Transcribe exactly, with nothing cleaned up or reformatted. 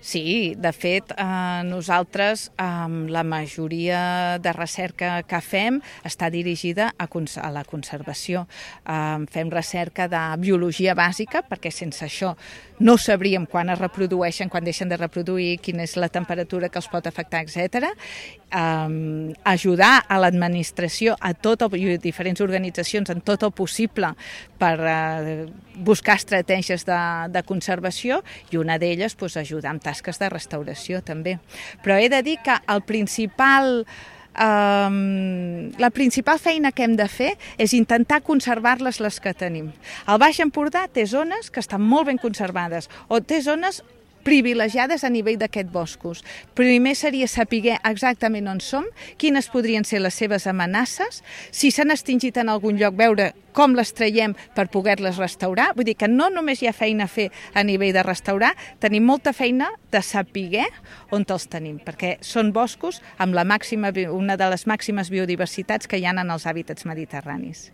Sí, de fet, eh, nosaltres, eh, la majoria de recerca que fem està dirigida a, cons a la conservació. Eh, fem recerca de biologia bàsica, perquè sense això no sabríem quan es reprodueixen, quan deixen de reproduir, quina és la temperatura que els pot afectar, etcètera. Eh, ajudar a l'administració, a tot el, i diferents organitzacions en tot el possible per eh, buscar estratègies de, de conservació, i una d'elles doncs, ajudar amb tasques de restauració també. Però he de dir que el principal, eh, la principal feina que hem de fer és intentar conservar-les les que tenim. El Baix Empordà té zones que estan molt ben conservades, o té zones privilegiades a nivell d'aquests boscos. Primer seria saber exactament on som, quines podrien ser les seves amenaces, si s'han extingit en algun lloc, veure com les traiem per poder-les restaurar. Vull dir que no només hi ha feina a fer a nivell de restaurar, tenim molta feina de saber on els tenim, perquè són boscos amb la màxima, una de les màximes biodiversitats que hi ha en els hàbitats mediterranis.